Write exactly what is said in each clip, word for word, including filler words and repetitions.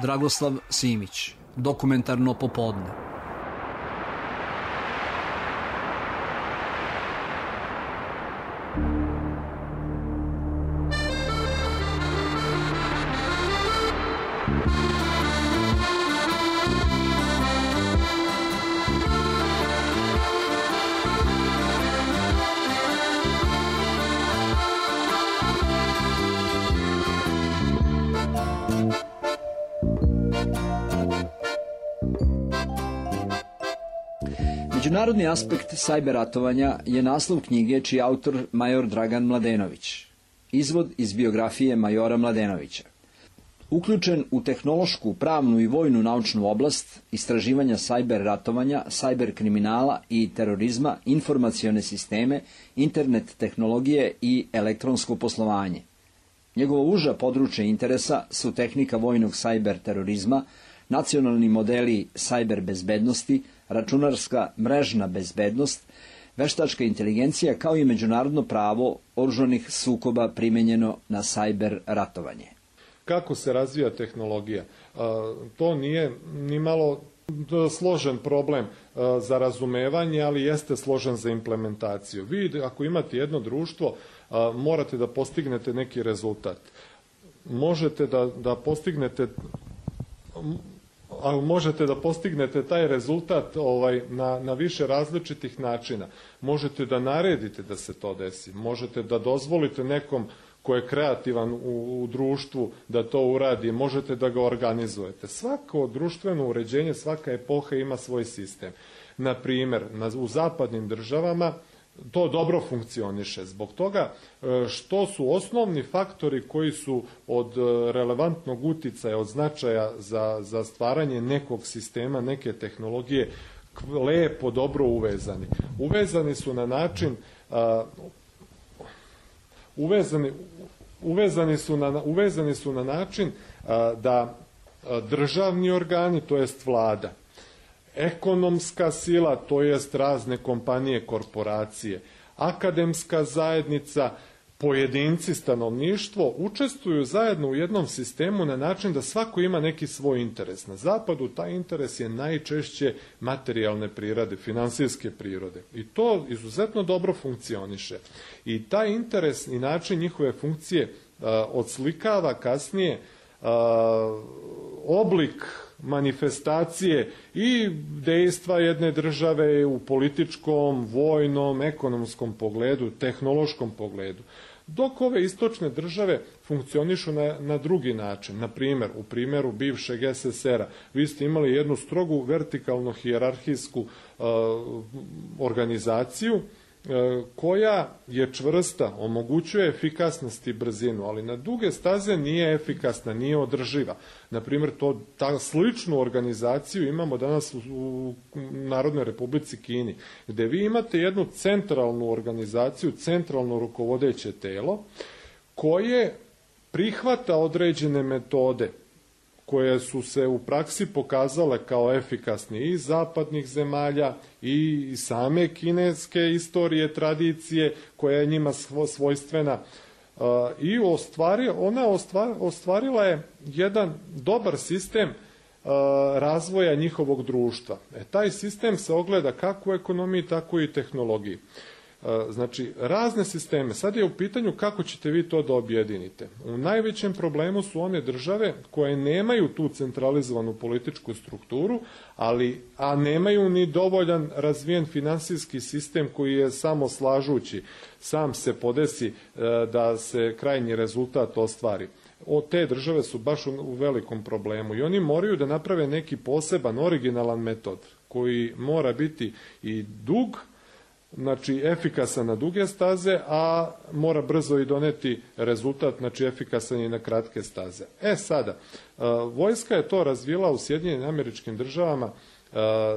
Dragoslav Simić, Dokumentarno popodne. Međunarodni aspekt sajber ratovanja je naslov knjige čiji je autor major Dragan Mladenović. Izvod iz biografije majora Mladenovića. Uključen u tehnološku, pravnu i vojnu naučnu oblast istraživanja sajber ratovanja, sajber kriminala i terorizma, informacione sisteme, internet tehnologije i elektronsko poslovanje. Njegovo uža područje interesa su tehnika vojnog sajber terorizma, nacionalni modeli sajber bezbednosti, računarska mrežna bezbednost, veštačka inteligencija kao i međunarodno pravo oružanih sukoba primenjeno na sajber ratovanje. Kako se razvija tehnologija? To nije ni malo složen problem za razumevanje, ali jeste složen za implementaciju. Vi ako imate jedno društvo, morate da postignete neki rezultat. Možete da, da postignete ali možete da postignete taj rezultat ovaj, na, na više različitih načina. Možete da naredite da se to desi, možete da dozvolite nekom ko je kreativan u, u društvu da to uradi, možete da ga organizujete. Svako društveno uređenje, svaka epoha ima svoj sistem. Na primjer, na, u zapadnim državama to dobro funkcioniše. Zbog toga što su osnovni faktori koji su od relevantnog uticaja, od značaja za, za stvaranje nekog sistema, neke tehnologije, lepo, dobro uvezani. Uvezani su na način a, uvezani, uvezani, su na, uvezani su na način a, da a, državni organi, to jest vlada, ekonomska sila, to jest razne kompanije, korporacije, akademska zajednica, pojedinci, stanovništvo, učestvuju zajedno u jednom sistemu na način da svako ima neki svoj interes. Na zapadu taj interes je najčešće materijalne prirode, finansijske prirode. I to izuzetno dobro funkcioniše. I taj interes i način njihove funkcije a, odslikava kasnije a, oblik manifestacije i dejstva jedne države u političkom, vojnom, ekonomskom pogledu, tehnološkom pogledu. Dok ove istočne države funkcionišu na, na drugi način. Na primjer, u primjeru bivšeg es es er a, vi ste imali jednu strogu vertikalno hijerarhijsku uh, organizaciju koja je čvrsta, omogućuje efikasnost i brzinu, ali na duge staze nije efikasna, nije održiva. Naprimjer, to, ta sličnu organizaciju imamo danas u, u Narodnoj Republici Kini, gde vi imate jednu centralnu organizaciju, centralno rukovodeće telo, koje prihvata određene metode koje su se u praksi pokazale kao efikasne i zapadnih zemalja i same kineske istorije, tradicije koja je njima svojstvena. I ostvari, ona ostvar, ostvarila je jedan dobar sistem razvoja njihovog društva. E, taj sistem se ogleda kako u ekonomiji, tako i tehnologiji. Znači, razne sisteme. Sad je u pitanju kako ćete vi to da objedinite. U najvećem problemu su one države koje nemaju tu centralizovanu političku strukturu, ali, a nemaju ni dovoljan razvijen finansijski sistem koji je samo slažući, sam se podesi da se krajnji rezultat ostvari. O, te države su baš u, u velikom problemu i oni moraju da naprave neki poseban, originalan metod koji mora biti i dug, znači efikasan na duge staze, a mora brzo i doneti rezultat, znači efikasan i na kratke staze. E sada, vojska je to razvila u Sjedinjenim Američkim Državama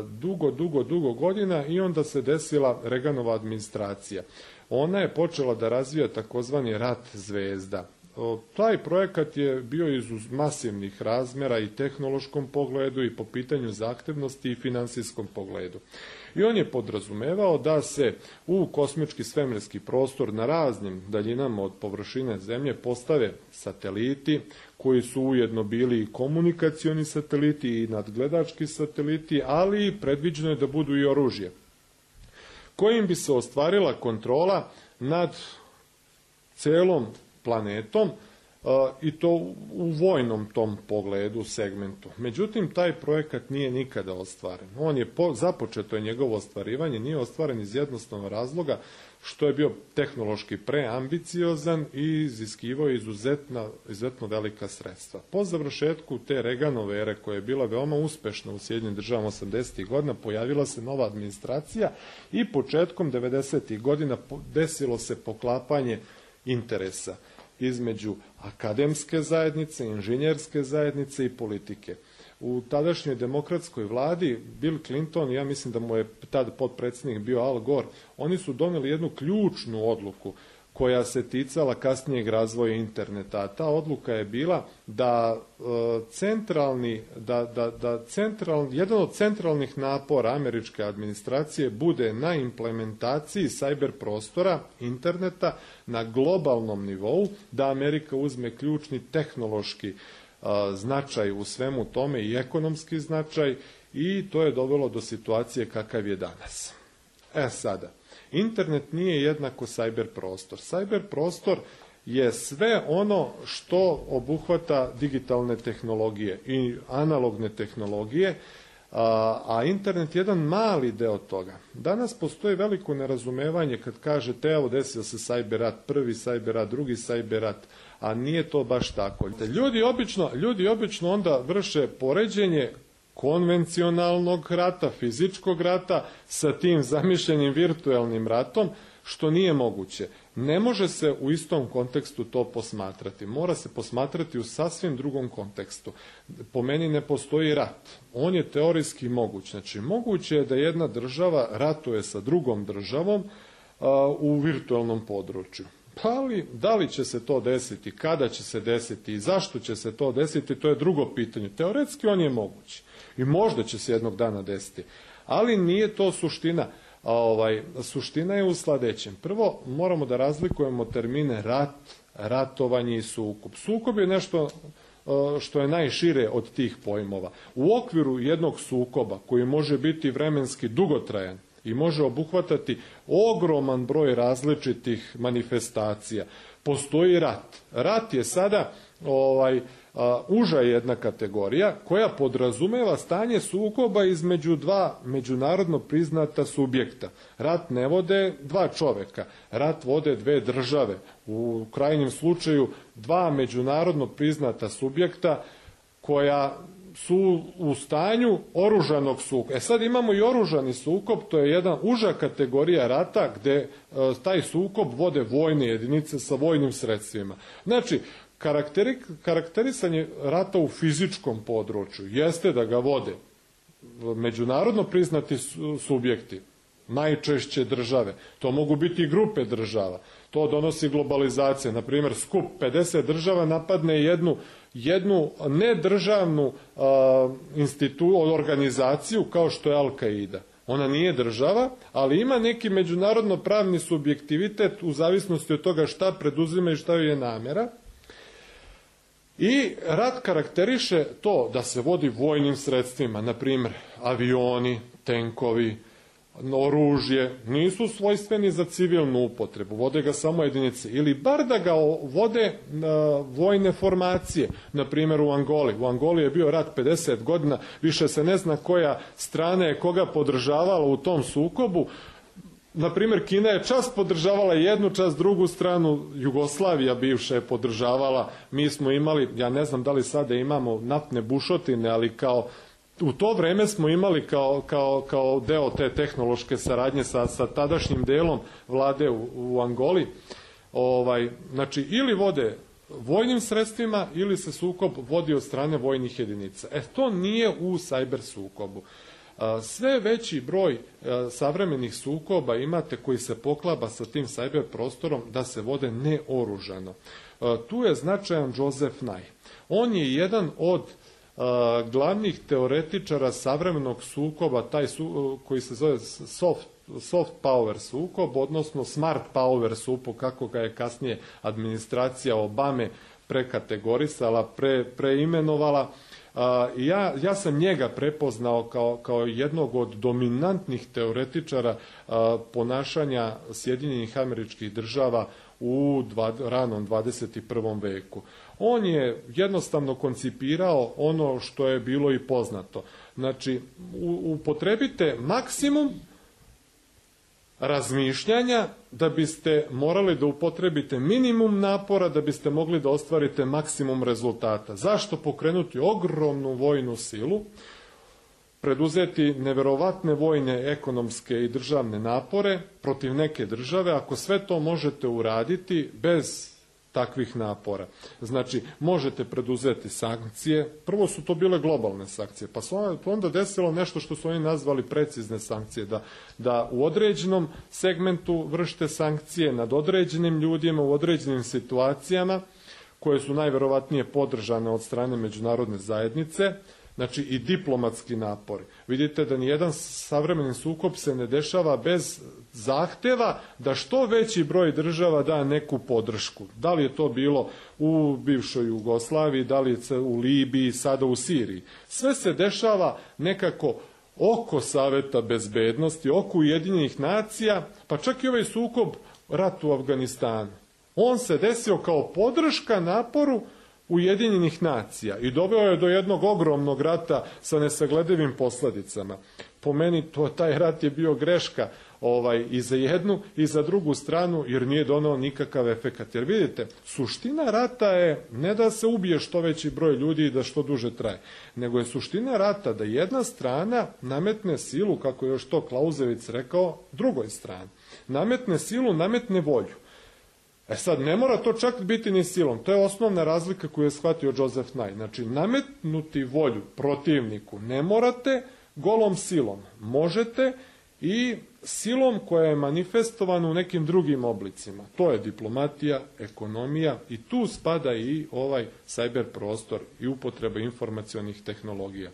dugo, dugo, dugo godina i onda se desila Reaganova administracija. Ona je počela da razvija takozvani rat zvezda. Taj projekat je bio iz masivnih razmjera i tehnološkom pogledu i po pitanju zahtevnosti i finansijskom pogledu. I on je podrazumevao da se u kosmički svemirski prostor na raznim daljinama od površine Zemlje postave sateliti koji su ujedno bili i komunikacioni sateliti i nadgledački sateliti, ali predviđeno je da budu i oružje kojim bi se ostvarila kontrola nad celom planetom i to u vojnom tom pogledu, segmentu. Međutim, taj projekat nije nikada ostvaren. On je po, započeto je njegovo ostvarivanje, nije ostvaren iz jednostavnog razloga što je bio tehnološki preambiciozan i iziskivao izuzetna, izuzetno velika sredstva. Po završetku te Reaganove ere, koja je bila veoma uspešna u Sjedinjenim državama osamdesetih godina, pojavila se nova administracija i početkom devedesetih godina desilo se poklapanje interesa između akademske zajednice, inženjerske zajednice i politike. U tadašnjoj demokratskoj vladi Bill Clinton, ja mislim da mu je tad potpredsjednik bio Al Gore, oni su doneli jednu ključnu odluku koja se ticala kasnijeg razvoja interneta. A ta odluka je bila da e, centralni, da, da, da central, jedan od centralnih napora američke administracije bude na implementaciji cyber prostora, interneta, na globalnom nivou, da Amerika uzme ključni tehnološki a, značaj u svemu tome i ekonomski značaj, i to je dovelo do situacije kakav je danas. E sada, internet nije jednako cyber prostor. Cyber prostor je sve ono što obuhvata digitalne tehnologije i analogne tehnologije, a, a internet je jedan mali deo toga. Danas postoji veliko nerazumevanje kad kažete evo desio se cyber rat, prvi cyber rat, drugi cyber rat, a nije to baš tako. Ljudi obično, ljudi obično onda vrše poređenje konvencionalnog rata, fizičkog rata sa tim zamišljenim virtualnim ratom, što nije moguće. Ne može se u istom kontekstu to posmatrati. Mora se posmatrati u sasvim drugom kontekstu. Po meni ne postoji rat. On je teorijski moguć. Znači, moguće je da jedna država ratuje sa drugom državom a, u virtualnom području. Ali, da li će se to desiti, kada će se desiti i zašto će se to desiti, to je drugo pitanje. Teoretski on je moguć. I možda će se jednog dana desiti. Ali nije to suština. A ovaj, suština je u sledećem. Prvo, moramo da razlikujemo termine rat, ratovanje i sukob. Sukob je nešto što je najšire od tih pojmova. U okviru jednog sukoba, koji može biti vremenski dugotrajan i može obuhvatati ogroman broj različitih manifestacija, postoji rat. Rat je sada ovaj, a, uža jedna kategorija koja podrazumeva stanje sukoba između dva međunarodno priznata subjekta. Rat ne vode dva čoveka, rat vode dve države. U krajnjem slučaju dva međunarodno priznata subjekta koja su u stanju oružanog sukoba. E sad imamo i oružani sukob, to je jedna uža kategorija rata gde e, taj sukob vode vojne jedinice sa vojnim sredstvima. Znači, karakteri, karakterisanje rata u fizičkom području jeste da ga vode međunarodno priznati subjekti, najčešće države. To mogu biti i grupe država. To donosi globalizacija. Na primjer, skup pedeset država napadne jednu, jednu nedržavnu a, institu, organizaciju kao što je Al-Qaida. Ona nije država, ali ima neki međunarodno pravni subjektivitet u zavisnosti od toga šta preduzima i šta joj je namera. I rat karakteriše to da se vodi vojnim sredstvima, na primjer avioni, tenkovi, oružje, nisu svojstveni za civilnu upotrebu, vode ga samo jedinice, ili bar da ga vode uh, vojne formacije, na primjer u Angoli. U Angoli je bio rat pedeset godina, više se ne zna koja strana je koga podržavala u tom sukobu. Na primjer, Kina je čas podržavala jednu, čas drugu stranu, Jugoslavija bivša je podržavala, mi smo imali, ja ne znam da li sada imamo naftne bušotine, ali kao u to vreme smo imali kao, kao, kao deo te tehnološke saradnje sa, sa tadašnjim delom vlade u, u Angoli. Ovaj, znači, ili vode vojnim sredstvima, ili se sukob vodi od strane vojnih jedinica. E, to nije u cyber sukobu. Sve veći broj savremenih sukoba imate koji se poklapa sa tim cyber prostorom da se vode neoružano. Tu je značajan Joseph Nye. On je jedan od glavnih teoretičara savremenog sukoba, taj su, koji se zove soft, soft power sukob, odnosno smart power sukob, kako ga je kasnije administracija Obame prekategorisala, pre, preimenovala. Ja, ja sam njega prepoznao kao, kao jednog od dominantnih teoretičara ponašanja Sjedinjenih Američkih Država u dva, ranom dvadeset prvom veku. On je jednostavno koncipirao ono što je bilo i poznato. Znači, upotrebite maksimum razmišljanja da biste morali da upotrebite minimum napora da biste mogli da ostvarite maksimum rezultata. Zašto pokrenuti ogromnu vojnu silu, preduzeti neverovatne vojne, ekonomske i državne napore protiv neke države, ako sve to možete uraditi bez takvih napora. Znači, možete preduzeti sankcije. Prvo su to bile globalne sankcije, pa su onda desilo nešto što su oni nazvali precizne sankcije, da, da u određenom segmentu vršite sankcije nad određenim ljudima u određenim situacijama koje su najverovatnije podržane od strane međunarodne zajednice. Znači i diplomatski napori. Vidite da nijedan savremeni sukob se ne dešava bez zahteva da što veći broj država da neku podršku. Da li je to bilo u bivšoj Jugoslaviji, da li je u Libiji, sada u Siriji. Sve se dešava nekako oko Saveta bezbednosti, oko Ujedinjenih nacija, pa čak i ovaj sukob, rat u Afganistanu. On se desio kao podrška naporu Ujedinjenih nacija i doveo je do jednog ogromnog rata sa nesagledivim posledicama. Po meni to, taj rat je bio greška ovaj, i za jednu i za drugu stranu, jer nije donao nikakav efekat. Jer vidite, suština rata je ne da se ubije što veći broj ljudi i da što duže traje, nego je suština rata da jedna strana nametne silu, kako je još to Clausewitz rekao, drugoj strani. Nametne silu, nametne volju. E sad, ne mora to čak biti ni silom. To je osnovna razlika koju je shvatio Joseph Nye. Znači, nametnuti volju protivniku ne morate golom silom. Možete i silom koja je manifestovana u nekim drugim oblicima. To je diplomatija, ekonomija i tu spada i ovaj cyber prostor i upotreba informacionih tehnologija.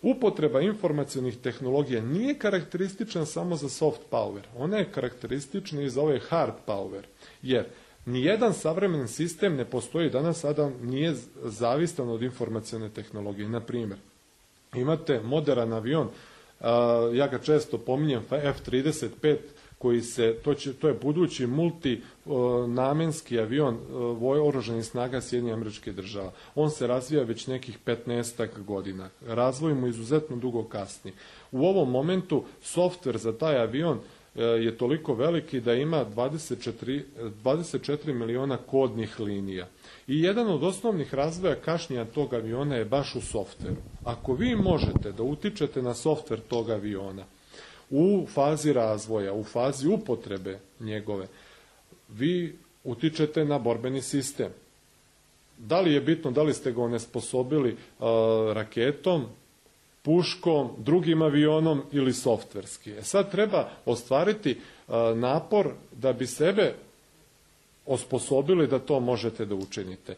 Upotreba informacionih tehnologija nije karakteristična samo za soft power. Ona je karakteristična i za ovaj hard power. Jer nijedan savremeni sistem ne postoji danas, sada nije zavistan od informacione tehnologije. Na primjer, imate moderan avion, ja ga često pominjem, F trideset pet, koji se, to, će, to je budući multinamenski avion oružanih snaga Sjedinjenih Američkih Država. On se razvija već nekih petnaestak godina. Razvoj mu izuzetno dugo kasni. U ovom momentu softver za taj avion je toliko veliki da ima dvadeset četiri, dvadeset četiri miliona kodnih linija. I jedan od osnovnih razvoja kašnjenja tog aviona je baš u softveru. Ako vi možete da utičete na softver tog aviona u fazi razvoja, u fazi upotrebe njegove, vi utičete na borbeni sistem. Da li je bitno, da li ste ga onesposobili uh, raketom, puškom, drugim avionom ili softverski. E sad treba ostvariti uh, napor da bi sebe osposobili da to možete da učinite.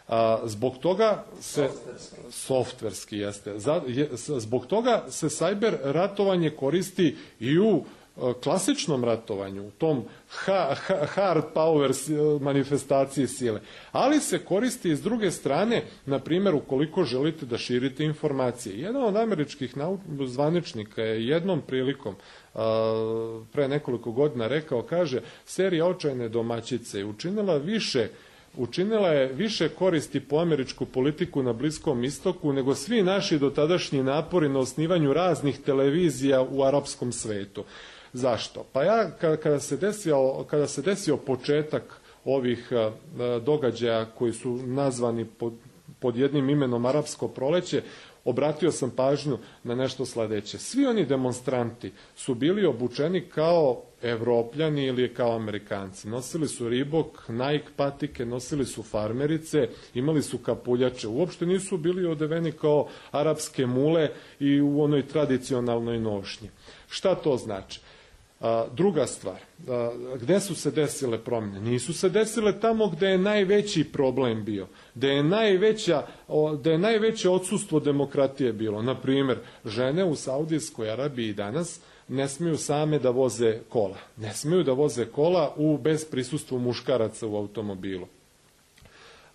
A, zbog toga se softverski, softverski jeste. Za, je, zbog toga se cyber ratovanje koristi i u a, klasičnom ratovanju, u tom ha, ha, hard power manifestaciji sile. Ali se koristi i s druge strane, na primjer, ukoliko želite da širite informacije. Jedan od američkih zvaničnika je jednom prilikom a, pre nekoliko godina rekao, kaže, serija Očajne domaćice je učinila više Učinila je više koristi po američku politiku na Bliskom istoku nego svi naši dotadašnji napori na osnivanju raznih televizija u arapskom svetu. Zašto? Pa ja kada se desio, kada se desio početak ovih događaja koji su nazvani pod, pod jednim imenom Arapsko proleće, obratio sam pažnju na nešto sledeće. Svi oni demonstranti su bili obučeni kao Evropljani ili kao Amerikanci. Nosili su Reebok, Nike patike, nosili su farmerice, imali su kapuljače. Uopšte nisu bili odeveni kao arapske mule i u onoj tradicionalnoj nošnji. Šta to znači? A, druga stvar, a, gde su se desile promjene? Nisu se desile tamo gde je najveći problem bio, gde je, najveća, o, gde je najveće odsustvo demokratije bilo. Na primjer, žene u Saudijskoj Arabiji danas ne smiju same da voze kola. Ne smiju da voze kola u, bez prisustvu muškaraca u automobilu.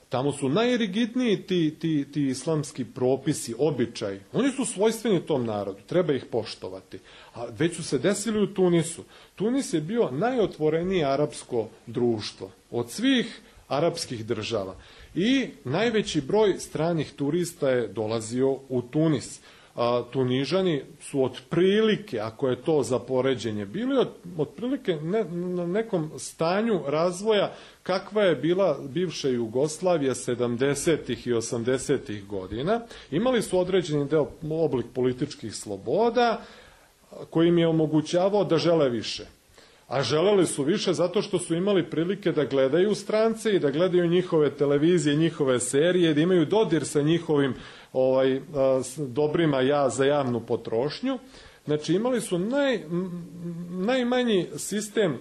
Tamo su najrigidniji ti, ti, ti islamski propisi, običaji. Oni su svojstveni tom narodu, treba ih poštovati. A već su se desili u Tunisu. Tunis je bio najotvorenije arapsko društvo od svih arapskih država. I najveći broj stranih turista je dolazio u Tunis. A, Tunižani su otprilike, ako je to za poređenje, bili od, otprilike ne, na nekom stanju razvoja kakva je bila bivša Jugoslavija sedamdesetih i osamdesetih godina. Imali su određeni deo oblik političkih sloboda koji im je omogućavao da žele više. A želeli su više zato što su imali prilike da gledaju strance i da gledaju njihove televizije, njihove serije, da imaju dodir sa njihovim ovaj, dobrima ja za javnu potrošnju. Znači imali su naj, najmanji sistem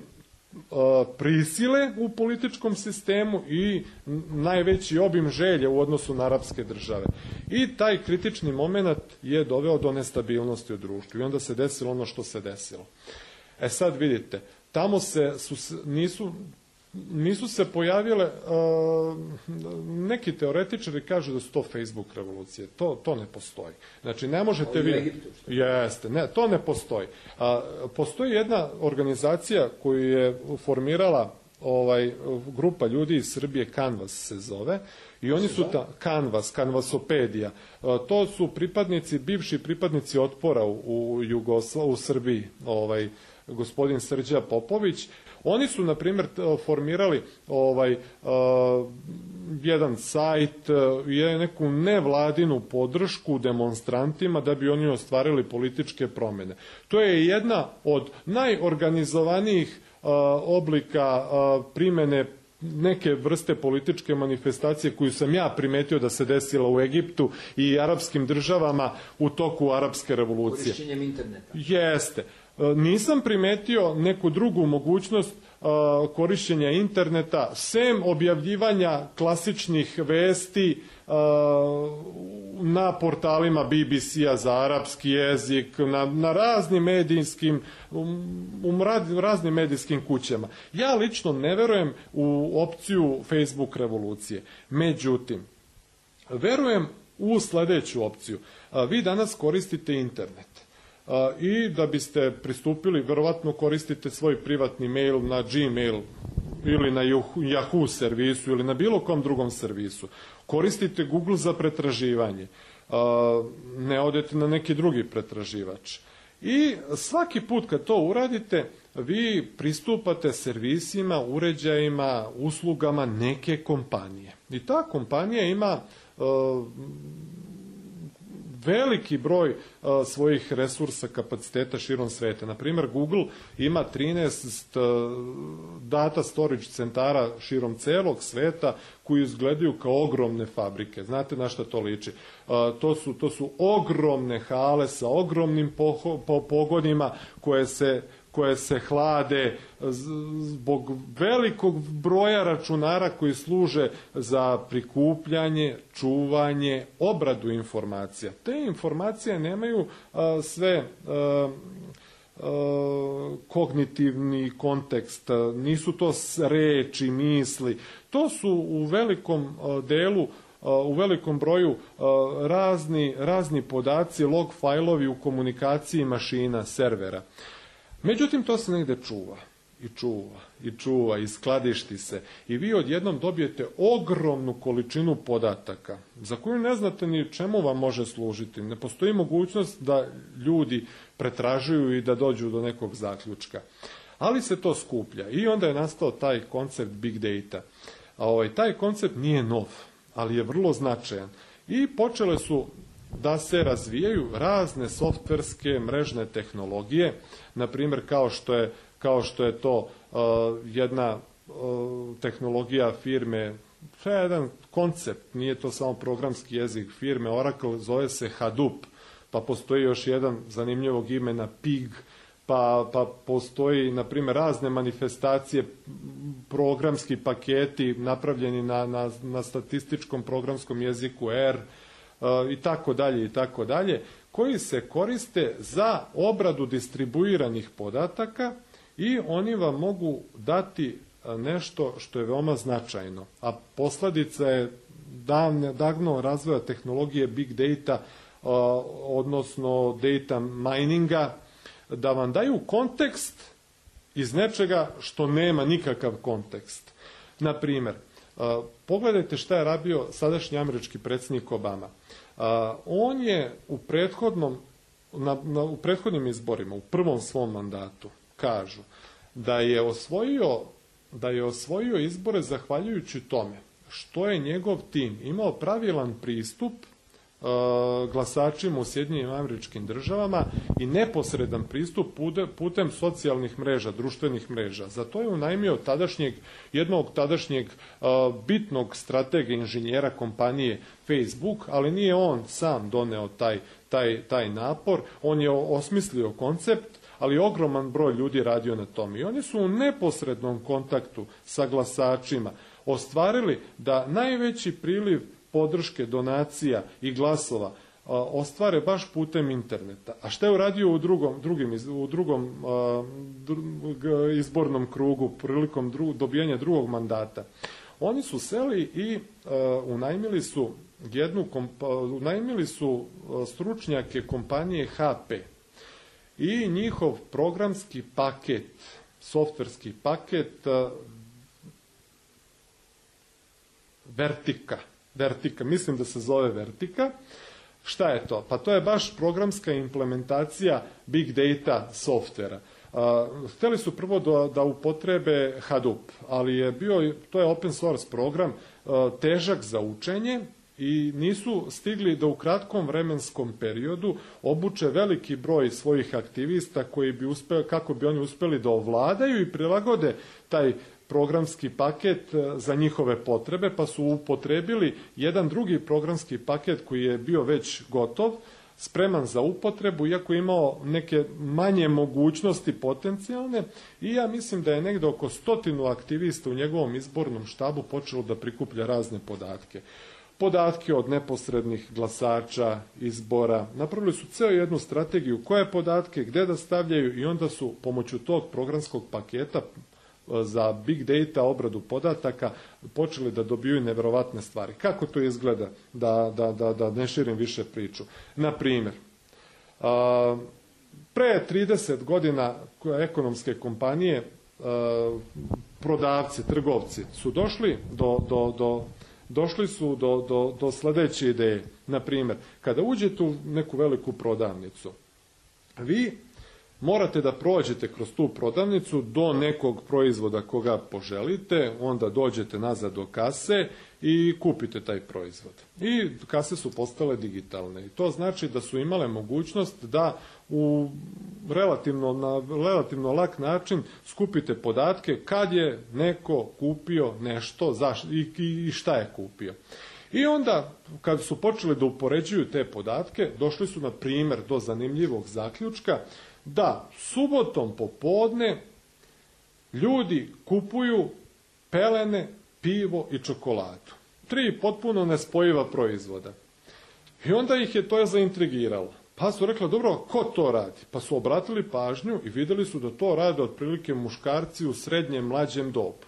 prisile u političkom sistemu i najveći obim želje u odnosu na arapske države. I taj kritični moment je doveo do nestabilnosti u društvu i onda se desilo ono što se desilo. E sad vidite, tamo se su, nisu, nisu se pojavile, uh, neki teoretičari kažu da su to Facebook revolucije. To, to ne postoji. Znači, ne možete vi... Jeste, ne, to ne postoji. Uh, postoji jedna organizacija koju je formirala ovaj, grupa ljudi iz Srbije, Canvas se zove, i oni su ta Canvas, Canvasopedija. Uh, to su pripadnici, bivši pripadnici otpora u, u Jugosla, u Srbiji, ovaj, gospodin Srđa Popović. Oni su, na primjer, formirali ovaj, uh, jedan sajt, uh, neku nevladinu podršku demonstrantima da bi oni ostvarili političke promjene. To je jedna od najorganizovanijih uh, oblika uh, primjene neke vrste političke manifestacije koju sam ja primetio da se desila u Egiptu i arapskim državama u toku arapske revolucije. Korišćenjem interneta. Jeste. Nisam primetio neku drugu mogućnost uh, korišćenja interneta, sem objavljivanja klasičnih vesti uh, na portalima B B C-a za arapski jezik, na, na raznim medijskim, u raznim medijskim kućama. Ja lično ne verujem u opciju Facebook revolucije. Međutim, verujem u sljedeću opciju. Uh, vi danas koristite internet. Uh, i da biste pristupili, verovatno koristite svoj privatni mail na Gmail ili na Yahoo servisu ili na bilo kom drugom servisu. Koristite Google za pretraživanje. Uh, ne odete na neki drugi pretraživač. I svaki put kad to uradite, vi pristupate servisima, uređajima, uslugama neke kompanije. I ta kompanija ima uh, veliki broj uh, svojih resursa, kapaciteta širom sveta. Na primjer, Google ima trinaest uh, data storage centara širom celog sveta koji izgledaju kao ogromne fabrike. Znate na šta to liči? Uh, to, su, to su ogromne hale sa ogromnim poho, po, pogonima koje se koje se hlade zbog velikog broja računara koji služe za prikupljanje, čuvanje, obradu informacija. Te informacije nemaju a, sve a, a, kognitivni kontekst, a, nisu to reči, misli. To su u velikom a, delu, a, u velikom broju a, razni, razni podaci, log fajlovi u komunikaciji mašina, servera. Međutim, to se negde čuva i čuva i čuva i skladišti se i vi odjednom dobijete ogromnu količinu podataka za koju ne znate ni čemu vam može služiti. Ne postoji mogućnost da ljudi pretražuju i da dođu do nekog zaključka. Ali se to skuplja i onda je nastao taj koncept big data. A ovaj, taj koncept nije nov, ali je vrlo značajan. I počele su da se razvijaju razne softverske mrežne tehnologije, na primjer kao što je, kao što je to uh, jedna uh, tehnologija firme, to je jedan koncept, nije to samo programski jezik firme Oracle, zove se Hadoop, pa postoji još jedan zanimljivog imena Pig, pa, pa postoji, na primjer, razne manifestacije, programski paketi napravljeni na, na, na statističkom programskom jeziku R i tako dalje i tako dalje, koji se koriste za obradu distribuiranih podataka i oni vam mogu dati nešto što je veoma značajno, a posljedica je davno razvoja tehnologije big data, odnosno data mininga, da vam daju kontekst iz nečega što nema nikakav kontekst. Na primjer, pogledajte šta je radio sadašnji američki predsjednik Obama. On je u prethodnom, na, na, u prethodnim izborima, u prvom svom mandatu, kažu da je osvojio, da je osvojio izbore zahvaljujući tome što je njegov tim imao pravilan pristup glasačima u Sjedinjenim Američkim Državama i neposredan pristup putem socijalnih mreža, društvenih mreža. Za to je unajmio tadašnjeg, jednog tadašnjeg bitnog stratega inženjera kompanije Facebook, ali nije on sam doneo taj, taj, taj napor, on je osmislio koncept, ali ogroman broj ljudi radio na tom. I oni su u neposrednom kontaktu sa glasačima ostvarili da najveći priliv podrške, donacija i glasova ostvare baš putem interneta. A šta je uradio u drugom, drugim, u drugom izbornom krugu prilikom dru, dobijanja drugog mandata? Oni su seli i unajmili su jednu unajmili su stručnjake kompanije H P i njihov programski paket, softverski paket Vertika. Vertika, mislim da se zove Vertika. Šta je to? Pa to je baš programska implementacija big data softvera. Uh, htjeli su prvo da, da upotrebe Hadoop, ali je bio, to je open source program, uh, težak za učenje i nisu stigli da u kratkom vremenskom periodu obuče veliki broj svojih aktivista koji bi uspeli, kako bi oni uspjeli da ovladaju i prilagode taj programski paket za njihove potrebe, pa su upotrebili jedan drugi programski paket koji je bio već gotov, spreman za upotrebu, iako je imao neke manje mogućnosti potencijalne, i ja mislim da je negdje oko stotinu aktivista u njegovom izbornom štabu počelo da prikuplja razne podatke. Podatke od neposrednih glasača, izbora. Napravili su ceo jednu strategiju koje podatke, gdje da stavljaju, i onda su pomoću tog programskog paketa za big data, obradu podataka, počeli da dobiju nevjerovatne stvari. Kako to izgleda? Da, da, da, da ne širim više priču. Na primjer, pre trideset godina ekonomske kompanije, prodavci, trgovci su došli do, do, do došli su do, do, do sljedeće ideje. Na primjer, kada uđete u neku veliku prodavnicu, vi morate da prođete kroz tu prodavnicu do nekog proizvoda koga poželite, onda dođete nazad do kase i kupite taj proizvod. I kase su postale digitalne. I to znači da su imale mogućnost da u relativno, na relativno lak način skupite podatke kad je neko kupio nešto zaš, i, i šta je kupio. I onda, kad su počeli da upoređuju te podatke, došli su, na primjer, do zanimljivog zaključka da subotom popodne ljudi kupuju pelene, pivo i čokoladu. Tri potpuno nespojiva proizvoda. I onda ih je to zaintrigiralo. Pa su rekli, dobro, ko to radi? Pa su obratili pažnju i vidjeli su da to rade otprilike muškarci u srednjem mlađem dobu.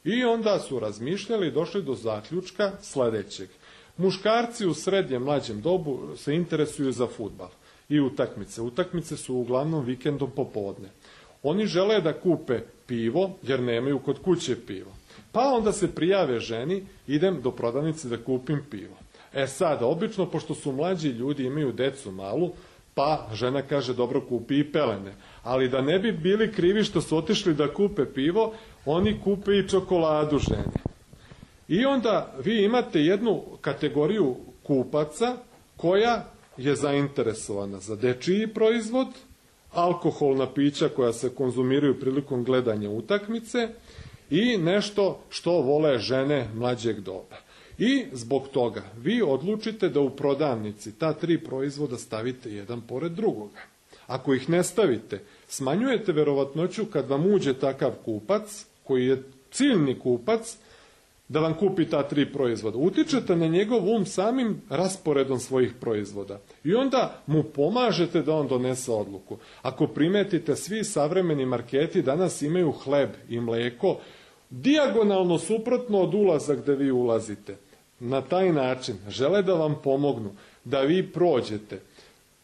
I onda su razmišljali i došli do zaključka sljedećeg. Muškarci u srednjem mlađem dobu se interesuju za fudbal i utakmice. Utakmice su uglavnom vikendom popodne. Oni žele da kupe pivo jer nemaju kod kuće pivo. Pa onda se prijave ženi, idem do prodavnice da kupim pivo. E sada, obično, pošto su mlađi ljudi, imaju decu malu, pa žena kaže, dobro, kupi i pelene. Ali da ne bi bili krivi što su otišli da kupe pivo, oni kupe i čokoladu žene. I onda vi imate jednu kategoriju kupaca koja je zainteresovana za dečiji proizvod, alkoholna pića koja se konzumiraju prilikom gledanja utakmice i nešto što vole žene mlađeg doba. I zbog toga vi odlučite da u prodavnici ta tri proizvoda stavite jedan pored drugoga. Ako ih ne stavite, smanjujete verovatnoću kad vam uđe takav kupac, koji je ciljni kupac, da vam kupi ta tri proizvoda. Utičete na njegov um samim rasporedom svojih proizvoda. I onda mu pomažete da on donese odluku. Ako primetite, svi savremeni marketi danas imaju hleb i mleko dijagonalno suprotno od ulaza gde vi ulazite. Na taj način žele da vam pomognu, da vi prođete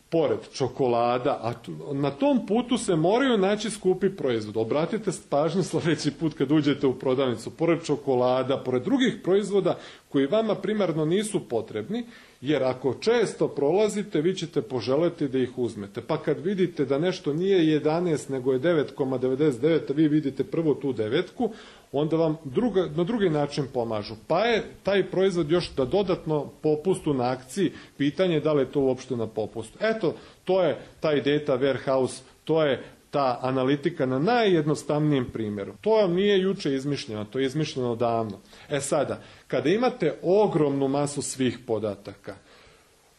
pored čokolada, a na tom putu se moraju naći skupi proizvod. Obratite pažnju sljedeći put kad uđete u prodavnicu, pored čokolada, pored drugih proizvoda koji vama primarno nisu potrebni, jer ako često prolazite, vi ćete poželeti da ih uzmete. Pa kad vidite da nešto nije jedanaest, nego je devet zarez devedeset devet, a vi vidite prvo tu devetku, onda vam druga, na drugi način pomažu. Pa je taj proizvod još da dodatno popustu na akciji, pitanje je da li je to uopšte na popustu. Eto, to je taj data warehouse, to je ta analitika na najjednostavnijem primjeru. To vam nije juče izmišljeno, to je izmišljeno davno. E sada, kada imate ogromnu masu svih podataka,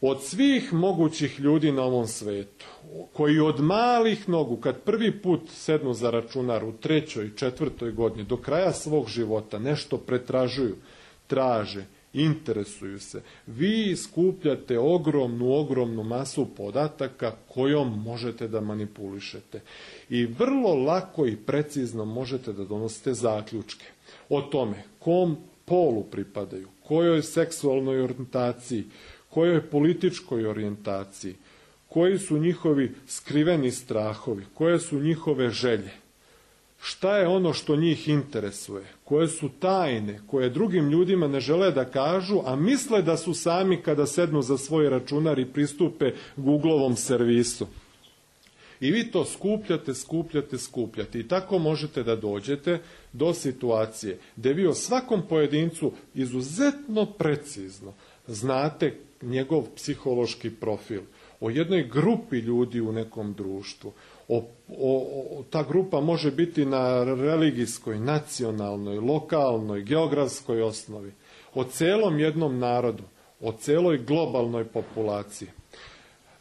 od svih mogućih ljudi na ovom svetu, koji od malih nogu, kad prvi put sednu za računar u trećoj, četvrtoj godini, do kraja svog života, nešto pretražuju, traže, interesuju se, vi skupljate ogromnu, ogromnu masu podataka kojom možete da manipulišete. I vrlo lako i precizno možete da donosite zaključke o tome kom polu pripadaju, kojoj seksualnoj orijentaciji, kojoj političkoj orijentaciji, koji su njihovi skriveni strahovi, koje su njihove želje, šta je ono što njih interesuje, koje su tajne, koje drugim ljudima ne žele da kažu, a misle da su sami kada sednu za svoj računar i pristupe Googleovom servisu. I vi to skupljate, skupljate, skupljate. I tako možete da dođete do situacije gde vi o svakom pojedincu izuzetno precizno znate njegov psihološki profil, o jednoj grupi ljudi u nekom društvu. O, o, o, ta grupa može biti na religijskoj, nacionalnoj, lokalnoj, geografskoj osnovi. O celom jednom narodu, o celoj globalnoj populaciji.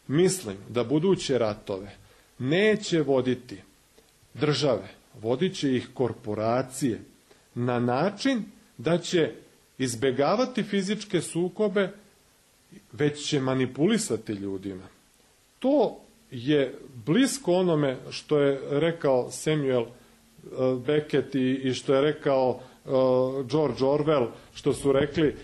Mislim da buduće ratove neće voditi države, vodit će ih korporacije na način da će izbegavati fizičke sukobe, već će manipulisati ljudima. To je blisko onome što je rekao Samuel Beckett i što je rekao George Orwell, što su rekli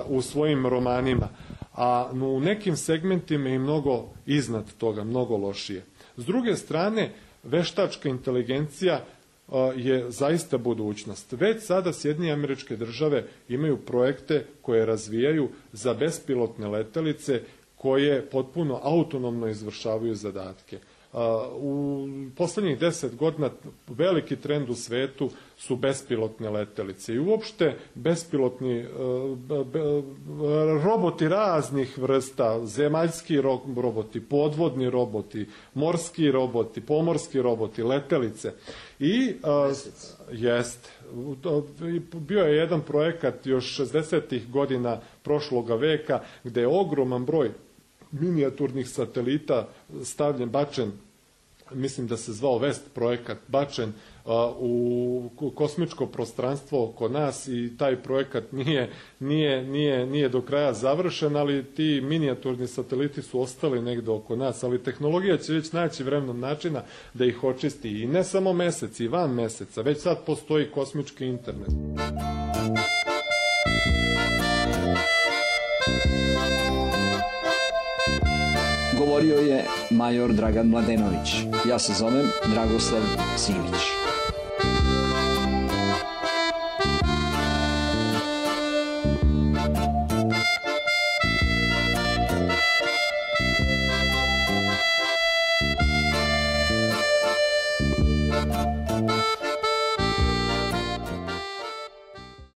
u svojim romanima, a u nekim segmentima i mnogo iznad toga, mnogo lošije. S druge strane, veštačka inteligencija je zaista budućnost. Već sada Sjedinjene Američke Države imaju projekte koje razvijaju za bespilotne letelice koje potpuno autonomno izvršavaju zadatke. U poslednjih deset godina veliki trend u svetu su bespilotne letelice i uopšte bespilotni roboti raznih vrsta, zemaljski roboti, podvodni roboti, morski roboti, pomorski roboti, letelice. I jest, bio je jedan projekat još šezdesetih godina prošloga veka gde je ogroman broj minijaturnih satelita stavljen, bačen, mislim da se zvao Vest projekat, bačen uh, u kosmičko prostranstvo oko nas i taj projekat nije, nije, nije, nije do kraja završen, ali ti minijaturni sateliti su ostali negde oko nas, ali tehnologija će već naći vremenom načina da ih očisti i ne samo mesec, i van meseca, već sad postoji kosmički internet. Govorio je major Dragan Mladenović. Ja se zovem Dragoslav Simić.